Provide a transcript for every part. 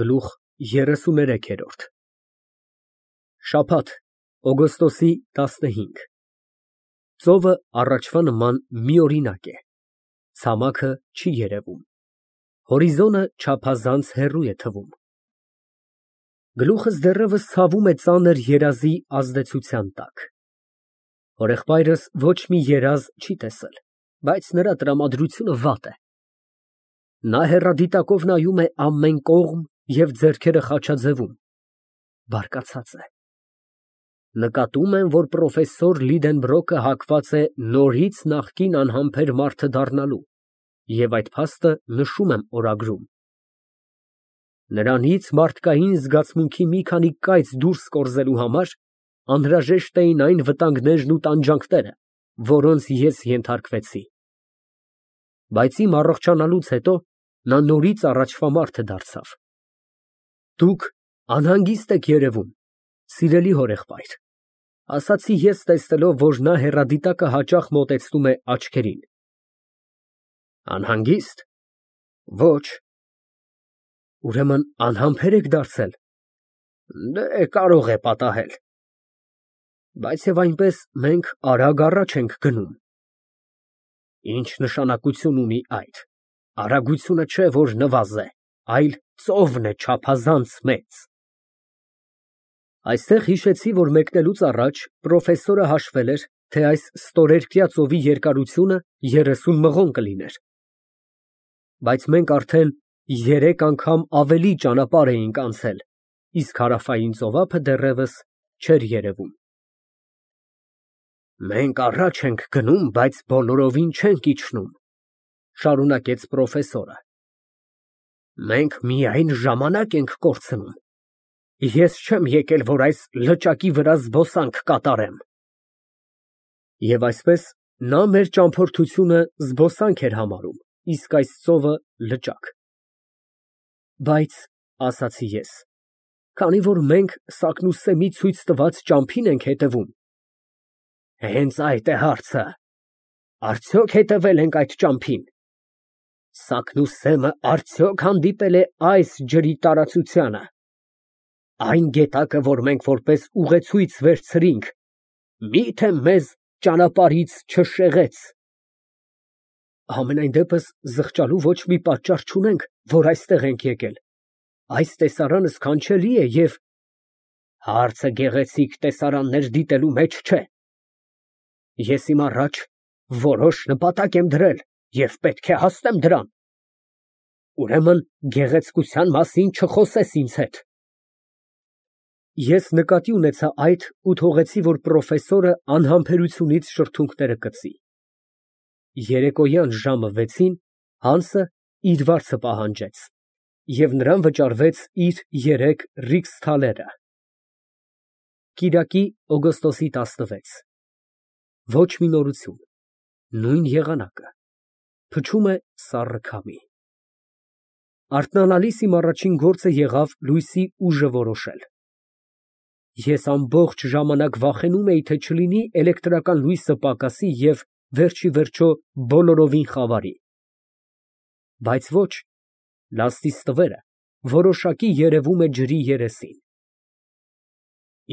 Գլուխ 33 Շաբաթ, օգոստոսի 15 Ծովը առաջվա նման միօրինակ է, ցամաքը չի երևում, հորիզոնը չափազանց հեռու է թվում։ Գլուխս դեռևս ցավում է ծանր երազի ազդեցության տակ։ Հորեղբայրս ոչ մի երազ չի տեսել, բայց նրա տրամադրությունը վատ է։ Նա հեռադիտակով նայում է ամեն կողմ և ձեռքերը խաչաձևում, բարկացած է։ Նկատում եմ, որ պրոֆեսոր Լիդենբրոկը հակված է նորից նախկին անհամբեր մարդը դառնալու և այդ փաստը նշում եմ օրագրում։ Նրանից մարդկային զգացմունքի մի քանի կայծ դուրս կորզելու համար անհրաժեշտ էին այն վտանգներն ու տանջանքները, որոնց ես ենթարկվեցի։ Բայց իմ առողջանալուց հետո նա նորից առաջվա մարդը դարձավ։ Դուք անհանգիստ եք երևում, սիրելի հորեղբայր, ասացի ես, տեսնելով, որ նա հեռադիտակը հաճախ մոտեցնում է աչքերին։ Անհանգիստ։ Ոչ։ Ուրեմն անհամբեր եք դարձել։ Դե, կարող է պատահել։ Բայց և այնպես մենք արագ առաջ ենք գնում։ Ինչ նշանակություն ունի այդ։ Արագությունը չէ, որ նվազ է, այլ ծովն է չափազանց մեծ։ Այստեղ հիշեցի, որ մեկնելուց առաջ պրոֆեսորը հաշվել էր, թե այս ստորերկրյա ծովի երկարությունը 30 մղոն կլիներ։ Բայց մենք արդեն 3 անգամ ավելի ճանապարհ էինք անցել, իսկ հարավային ծովափը դեռևս չէր երևում։ Մենք առաջ ենք գնում, բայց բոլորովին չենք իջնում, շարունակեց պրոֆեսորը։ Մենք միայն ժամանակ ենք կորցնում։ Ես չեմ եկել, որ այս լճակի վրա զբոսանք կատարեմ։ Եվ այսպես նա մեր ճամփորդությունը զբոսանք էր համարում, իսկ այս ծովը լճակ։ Բայց, ասացի ես, քանի որ մենք Սակնուսեմի ցույց տված ճամփին ենք հետևում։ Հենց այդ է հարցը։ Արդյոք հետևել ենք այդ ճամփին։ Սակնուսեմը արդյոք հանդիպել է այս ջրի տարածությանը։ Այն գետակը, որ մենք որպես ուղեցույց վերցրինք, մի՞թե մեզ ճանապարհից չշեղեց։ Համենայն դեպս զղջալու ոչ մի պատճառ չունենք, որ այստեղ ենք եկել։ Այս տեսարանը սքանչելի է և… Հարցը գեղեցիկ տեսարաններ դիտելու մեջ չէ։ Ես իմ առաջ որոշ նպատակ եմ դրել և պետք է հասնեմ դրան։ Ուրեմն գեղեցկության մասին չխոսես ինձ հետ։ Ես նկատի ունեցա այդ ու թողեցի, որ պրոֆեսորը անհամբերությունից շրթունքները կծի։ Երեկոյան ժամը 6-ին Հանսը իր վարձը պահանջեց և նրան վճարվեց իր 3 ռիքսթալերը։ Կիրակի, օգոստոսի 16 Ոչ մի նորություն, նույն եղանակը, փչում է սառը քամի։ Արթնանալիս իմ առաջին գործը եղավ լույսի ուժը որոշել։ Ես ամբողջ ժամանակ վախենում էի, թե չլինի էլեկտրական լույսը պակասի և վերջիվերջո բոլորովին խավարի։ Բայց ոչ, լացնի ստվերը որոշակի երևում է ջրի երեսին։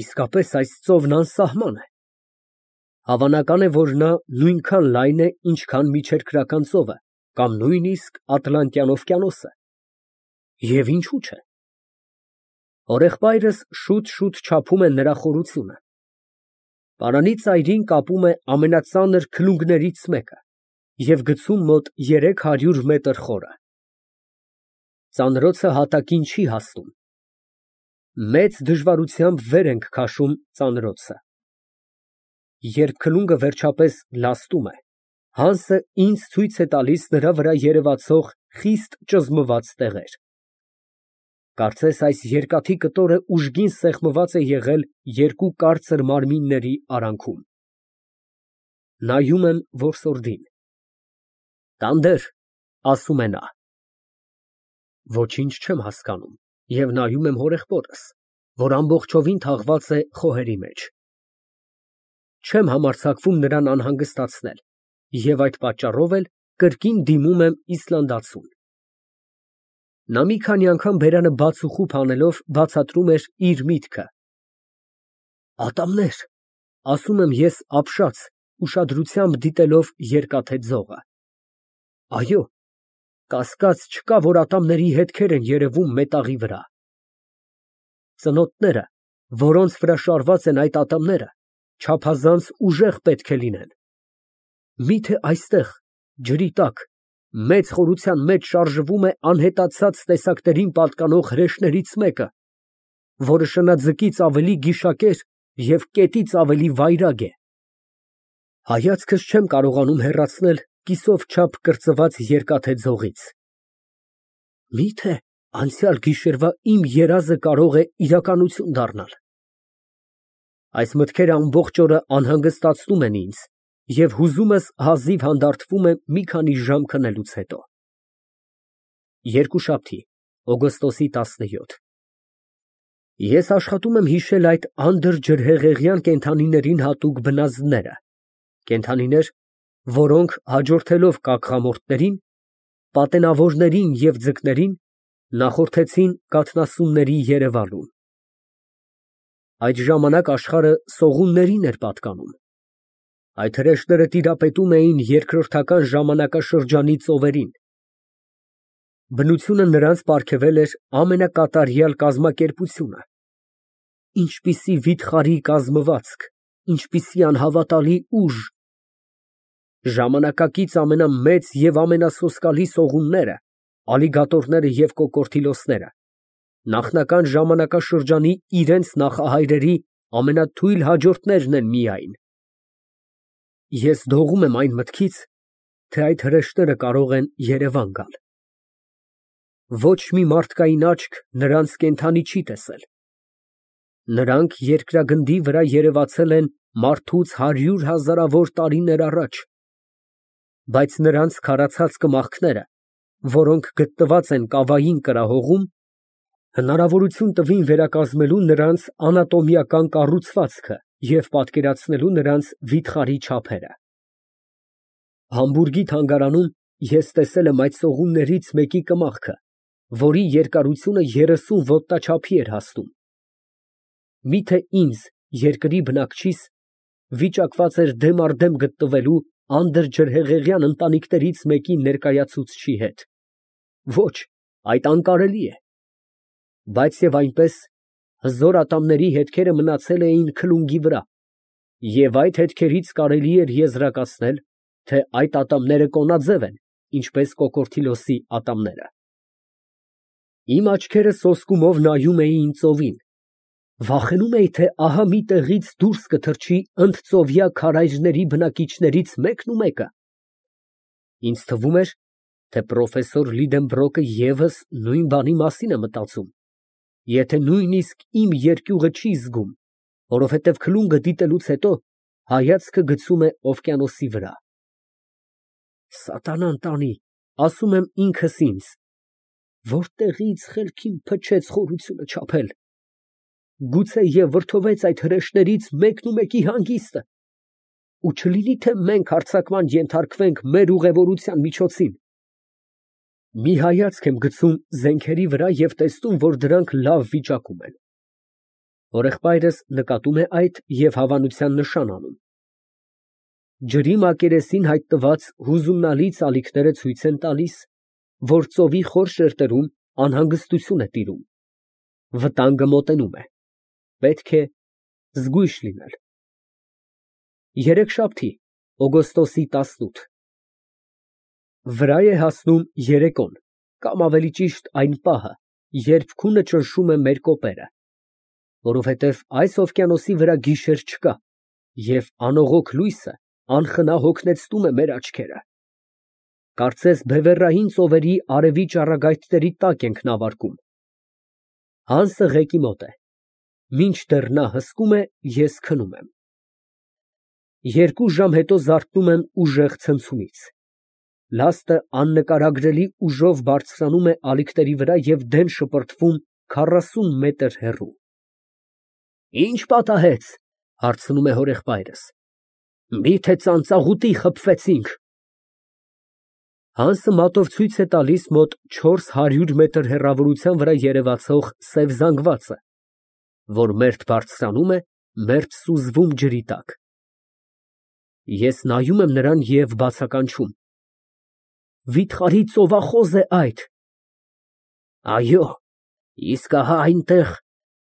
Իսկապես այս ծովն անսահման է։ Հավանական է, որ նա նույնքան լայն է, ինչքան միջերկրական ծովը կամ նույնիսկ Ատլանտյան օվկիանոսը։ Եվ ինչու՞ չէ։ Հորեղբայրս շուտ չափում է նրա խորությունը։ Պարանի ծայրին կապում է ամենածանր քլունգներից մեկը և գցում մոտ 300 մետր խորը։ Ծանրոցը հատակին չի հասնում։ Մեծ դժվարությամբ վեր ենք քաշում ծանրոցը։ Երբ քլունգը վերջապես լաստում է, Հանսը ինձ ցույց է տալիս նրա վրա երևացող խիստ ճզմված տեղեր։ Կարծես այս երկաթի կտորը ուժգին սեղմված է եղել 2 կարծր մարմինների արանքում։ Նայում եմ որսորդին։ Տանդեր, ասում է նա։ Ոչինչ չեմ հասկանում և նայում եմ հորեղբորս, որ ամբողջովին թաղված է խոհերի մեջ։ Չեմ համարձակվում նրան անհանգստացնել և այդ պատճառով էլ կրկին դիմում եմ իսլանդացուն։ Նա մի քանի անգամ բերանը բաց ու խուփ անելով բացատրում էր իր միտքը։ Ատամներ, ասում եմ ես ապշած, ուշադրությամբ դիտելով երկաթե ձողը։ Այո, կասկած չկա, որ ատամների հետքեր են երևում մետաղի վրա։ Ծնոտները, որոնց վրա շարված են այդ ատամները, չափազանց ուժեղ պետք է լինեն։ Միթե այստեղ, ջրի տակ, մեծ խորության մեջ շարժվում է անհետացած տեսակներին պատկանող հրեշներից մեկը, որը շնաձկից ավելի գիշակեր և կետից ավելի վայրագ է։ Հայացքս չեմ կարողանում հեռացնել կիսով չափ կրծված երկաթե ձողից։ Միթե անցյալ գիշերվա իմ երազը կարող է իրականություն դառնալ։ Այս մտքերը ամբողջ օրը անհանգստացնում են ինձ, և հուզումս հազիվ հանդարտվում է մի քանի ժամ քնելուց հետո։ Երկուշաբթի, օգոստոսի 17 Ես աշխատում եմ հիշել այդ անդրջրհեղեղյան կենդանիներին հատուկ բնազդները, կենդանիներ, որոնք հաջորդելով կակղամորթներին, պատենավորներին և ձկներին, նախորդեցին կաթնասունների երևալուն։ Այդ ժամանակ աշխարհը սողուններին էր պատկանում։ Այդ հրեշները տիրապետում էին երկրորդական ժամանակաշրջանի ծովերին։ Բնությունը նրանց պարգևել էր ամենակատարյալ կազմակերպությունը։ Ինչպիսի վիթխարի կազմվածք, ինչպիսի անհավատալի ուժ։ Ժամանակակից ամենամեծ և ամենասոսկալի սողունները, ալիգատորները և կոկորդիլոսները, նախնական ժամանակաշրջանի իրենց նախահայրերի ամենաթույլ հաջորդներն են միայն։ Ես դողում եմ այն մտքից, թե այդ հրեշները կարող են Երևան գալ։ Ոչ մի մարդկային աչք նրանց կենդանի չի տեսել։ Նրանք երկրագնդի վրա երևացել են մարդուց 100 հազարավոր տարիներ առաջ, բայց նրանց քարացած կմախքները, որոնք գտնված են կավային կրահողում, հնարավորություն տվին վերակազմելու նրանց անատոմիական կառուցվածքը և պատկերացնելու նրանց վիթխարի չափերը։ Համբուրգի թանգարանում ես տեսել եմ այդ սողուններից մեկի կմախքը, որի երկարությունը 30 ոտնաչափի էր հասնում։ Միթե ինձ, երկրի բնակչիս, վիճակված էր դեմ առ դեմ գտնվելու անդրջրհեղեղյան ընտանիքներից մեկի ներկայացուցչի հետ։ Ոչ, այդ անկարելի է։ Բայց և այնպես, հզոր ատամների հետքերը մնացել էին քլունգի վրա, և այդ հետքերից կարելի էր եզրակացնել, թե այդ ատամները կոնաձև են, ինչպես կոկորդիլոսի ատամները։ Իմ աչքերը սոսկումով նայում էին ծովին, վախենում էի, թե ահա մի տեղից դուրս կթռչի ընդծովյա քարայրների բնակիչներից մեկը։ Ինձ թվում էր, թե պրոֆեսոր Լիդենբրոկը ևս նույն բանի մասին է մտածում, եթե նույնիսկ իմ երկյուղը չի զգում, որովհետև քլունգը դիտելուց հետո հայացքը գցում է օվկիանոսի վրա։ Սատանան տանի, ասում եմ ինքս ինձ, որտեղի՞ց խելքին փչեց խորությունը չափել։ Գուցե և վրդովեց այդ հրեշներից մեկնումեկի հանգիստը, ու չլինի թե մենք հարձակման ենթարկվենք մեր ուղևորության միջոցին։ Մի հայացք եմ գցում զենքերի վրա և տեսնում, որ դրանք լավ վիճակում են։ Հորեղբայրս նկատում է այդ և հավանության նշան անում։ Ջրի մակերեսին հայտնված հուզումնալի ծալիքները ցույց են տալիս, որ ծովի խոր շերտերում անհանգստություն է տիրում։ Վտանգը մոտենում է։ Պետք է զգույշ լինել։ Երեքշաբթի, օգոստոսի 18 Վրա է հասնում երեկոն, կամ ավելի ճիշտ այն պահը, երբ քունը ճնշում է մեր կոպերը, որովհետև այս օվկիանոսի վրա գիշեր չկա, և անողոք լույսը անխնա հոգնեցնում է մեր աչքերը։ Կարծես բևեռային ծովերի արևի ճառագայթների տակ ենք նավարկում։ Հանսը ղեկի մոտ է։ Մինչդեռ նա հսկում է, ես քնում եմ։ 2 ժամ հետո զարթնում եմ ուժեղ ցնցումից։ Լաստը աննկարագրելի ուժով բարձրանում է ալիքների վրա և դեն շպրտվում 40 մետր հեռու։ Ի՞նչ պատահեց, հարցնում է հորեղբայրս։ Մի՞թե ծանծաղուտի խփվեցինք։ Հանսը մատով ցույց է տալիս մոտ 400 մետր հեռավորության վրա երևացող սև զանգվածը, որ մերթ բարձրանում է, մերթ սուզվում ջրի տակ։ Ես նայում եմ նրան և բացականչում. Վիթխարի ծովախոզ է այդ։ Այո, իսկ ահա այնտեղ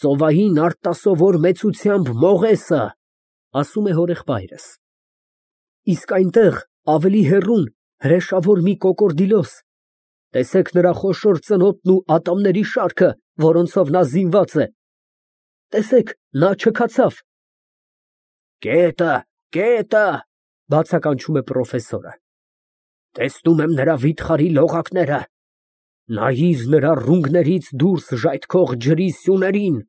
ծովային արտասովոր մեծությամբ մողեսը, ասում է հորեղբայրս։ Իսկ այնտեղ ավելի հեռուն հրեշավոր մի կոկորդիլոս, տեսեք նրա խոշոր ծնոտն ու ատամների շարքը, որոնցով նա զինված է, տեսեք, նա չքացավ։ Կետը, բացականչում է պրոֆեսորը։ Տեսնում եմ նրա վիթխարի լողակները, նայիր նրա ռունգներից դուրս ժայթքող ջրի սյուներին։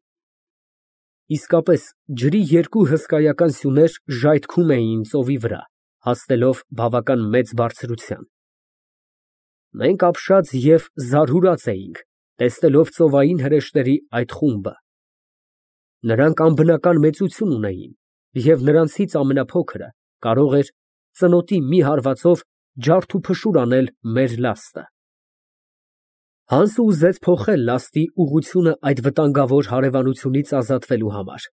Իսկապես, ջրի երկու հսկայական սյուներ ժայթքում էին ծովի վրա, հասնելով բավական մեծ բարձրության։ Մենք ապշած և զարհուրած էինք, տեսնելով ծովային հրեշների այդ խումբը։ Նրանք անբնական մեծություն ունեին, և նրանցից ամենափոքրը կարող էր ծնոտի մի հարվածով ջարդ ու փշուր անել մեր լաստը։ Հանսը ուզեց փոխել լաստի ուղղությունը այդ վտանգավոր հարևանությունից ազատվելու համար,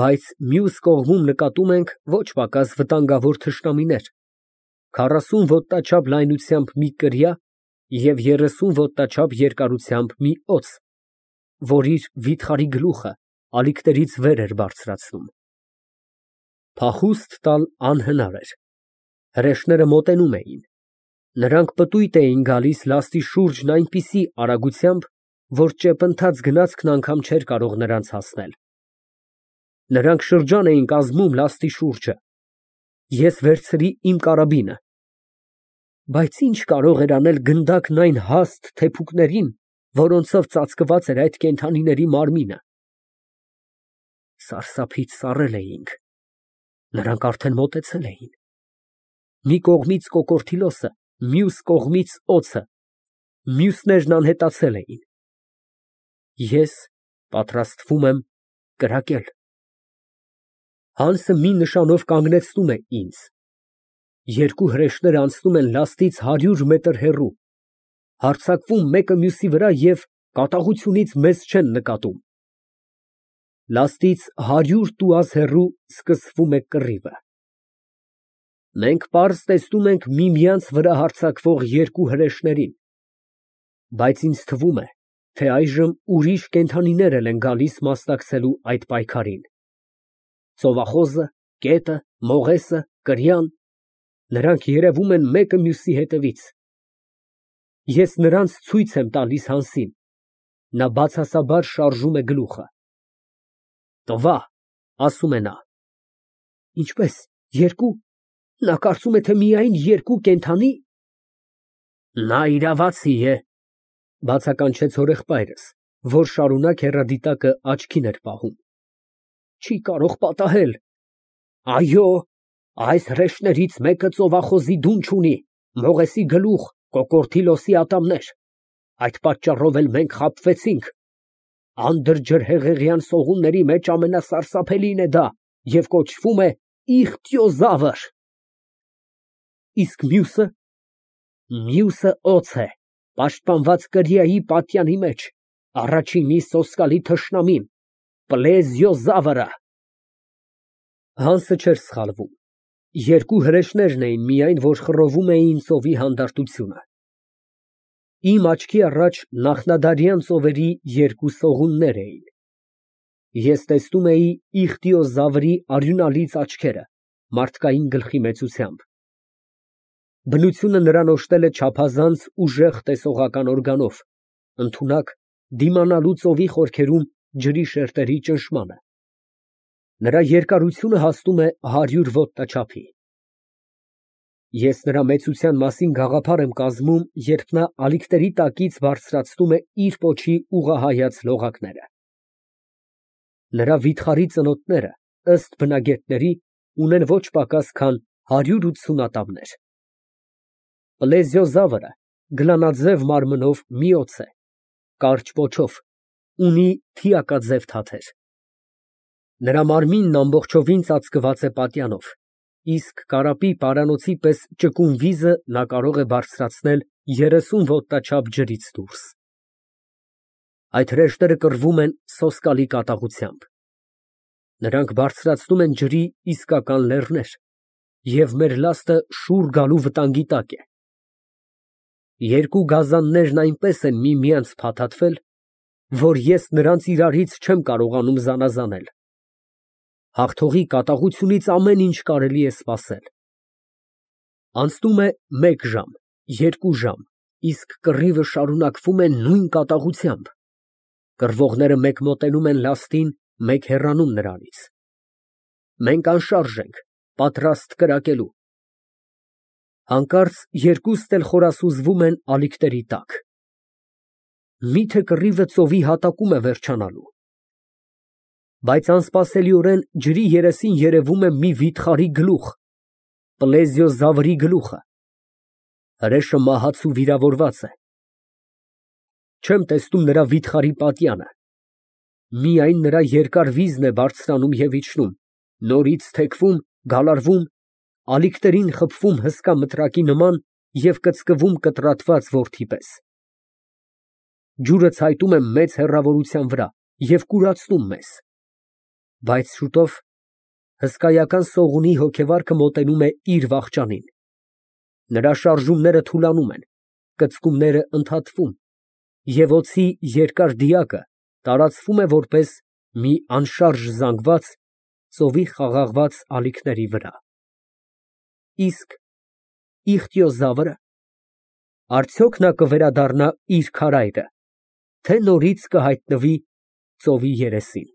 բայց մյուս կողմում նկատում ենք ոչ պակաս վտանգավոր թշնամիներ, 40 ոտնաչափ լայնությամբ մի կրիա և 30 ոտնաչափ երկարությամբ մի օձ, որ իր վիթխարի գլուխը ալիքներից վեր էր բարձրացնում։ Փախուստ տալ անհնար էր։ Հրեշները մոտենում էին։ Նրանք պտույտ էին գալիս լաստի շուրջն այնպիսի արագությամբ, որ ճեպընթաց գնացքն անգամ չէր կարող նրանց հասնել։ Նրանք շրջան էին կազմում լաստի շուրջը։ Ես վերցրի իմ կարաբինը։ Բայց ինչ կարող էր անել գնդակն այն հաստ թեփուկներին, որոնցով ծածկված էր այդ կենդանիների մարմինը։ Սարսափից սառել էինք։ Նրանք արդեն մոտեցել էին։ Մի կողմից կոկորդիլոսը, մյուս կողմից օձը, մյուսներն անհետացել էին։ Ես պատրաստվում եմ կրակել։ Հանսը մի նշանով կանգնեցնում է ինձ։ Երկու հրեշները անցնում են լաստից 100 մետր հեռու, հարձակվում մեկը մյուսի վրա և կատաղությունից մեզ չեն նկատում։ Լաստից 100 տուազ հեռու սկսվում է կռիվը։ Մենք պարզ տեսնում ենք միմյանց վրա հարձակվող երկու հրեշներին, բայց ինձ թվում է, թե այժմ ուրիշ կենդանիներ էլ են գալիս մասնակցելու այդ պայքարին։ Ծովախոզը, կետը, մողեսը, կրիան, նրանք երևում են մեկը մյուսի հետևից։ Ես նրանց ցույց եմ տալիս Հանսին, նա բացասաբար շարժում է գլուխը։ Տվա, ասում է նա։ Ինչպես, երկու, նա կարծում է, թե միայն երկու կենդանի։ Նա իրավացի է, բացականչեց հորեղբայրս, որ շարունակ հեռադիտակը աչքին էր պահում։ Չի կարող պատահել։ Այո, այս հրեշներից մեկը ծովախոզի դունչ ունի, մողեսի գլուխ, կոկորդիլոսի ատամներ։ Այդ պատճառով էլ մենք խաբվեցինք։ Անդրջրհեղեղյան սողունների մեջ ամենասարսափելին է դա և կոչվում է իխտյոզավր։ Իսկ մյուսը։ Մյուսը օձ է, պաշտպանված կրիայի պատյանի մեջ, առաջինի սոսկալի թշնամին, պլեզիոզավրը։ Հանսը չէր սխալվում։ Երկու հրեշներն էին միայն, որ խռովում էին ծովի հանդարտությունը։ Իմ աչքի առաջ նախնադարյան ծովերի երկու սողուններ էին։ Ես տեսնում էի իխտիոզավրի արյունալից աչքերը, մարդկային գլխի մեծությամբ։ Բնությունը նրան օժտել է չափազանց ուժեղ տեսողական օրգանով, ընդունակ դիմանալու ծովի խորքերում ջրի շերտերի ճնշմանը։ Նրա երկարությունը հասնում է 100 ոտնաչափի։ Ես նրա մեծության մասին գաղափար եմ կազմում, երբ նա ալիքների տակից բարձրացնում է իր պոչի ուղղահայաց լողակները։ Նրա վիթխարի ծնոտները, ըստ բնագետների, ունեն ոչ պակաս քան 180 ատամներ։ Պլեզիոզավրը գլանաձև մարմնով մի օձ է, կարճ պոչով, ունի թիակաձև թաթեր։ Նրա մարմինն ամբողջովին ծածկված է պատյանով, իսկ կարապի պարանոցի պես ճկուն վիզը նա կարող է բարձրացնել 30 ոտնաչափ ջրից դուրս։ Այդ հրեշները կռվում են սոսկալի կատաղությամբ։ Նրանք բարձրացնում են ջրի իսկական լեռներ, և մեր լաստը շուռ գալու վտանգի տակ է։ Երկու գազաններն այնպես են միմյանց փաթաթվել, որ ես նրանց իրարից չեմ կարողանում զանազանել։ Հաղթողի կատաղությունից ամեն ինչ կարելի է սպասել։ Անցնում է 1 ժամ, 2 ժամ, իսկ կռիվը շարունակվում է նույն կատաղությամբ։ Կռվողները մեկ մոտենում են լաստին, մեկ հեռանում նրանից։ Մենք անշարժ ենք, պատրաստ կրակելու։ Հանկարծ երկուստ էլ խորասուզվում են ալիքների տակ։ Միթե կռիվը ծովի հատակում է վերջանալու։ Բայց անսպասելիորեն ջրի երեսին երևում է մի վիթխարի գլուխ, պլեզիոզավրի գլուխը։ Հրեշը մահացու վիրավորված է։ Չեմ տեսնում նրա վիթխարի պատյանը։ Միայն նրա երկար վիզն է բարձրանում և իջնում, նորից թեքվում, գալարվում, ալիքներին խփվում հսկա մտրակի նման և կծկվում կտրատված որդի պես։ Ջուրը ցայտում է մեծ հեռավորության վրա և կուրացնում մեզ։ Բայց շուտով հսկայական սողունի հոգեվարքը մոտենում է իր վախճանին։ Նրա շարժումները թուլանում են, կծկումները ընդհատվում, և օձի երկար դիակը տարածվում է որպես մի անշարժ զանգված ծովի խաղաղված ալիքների վրա։ Իսկ Իխտիոզավրը, արդյոք նա կվերադառնա իր քարայրը, թե նորից կհայտնվի ծովի երեսին։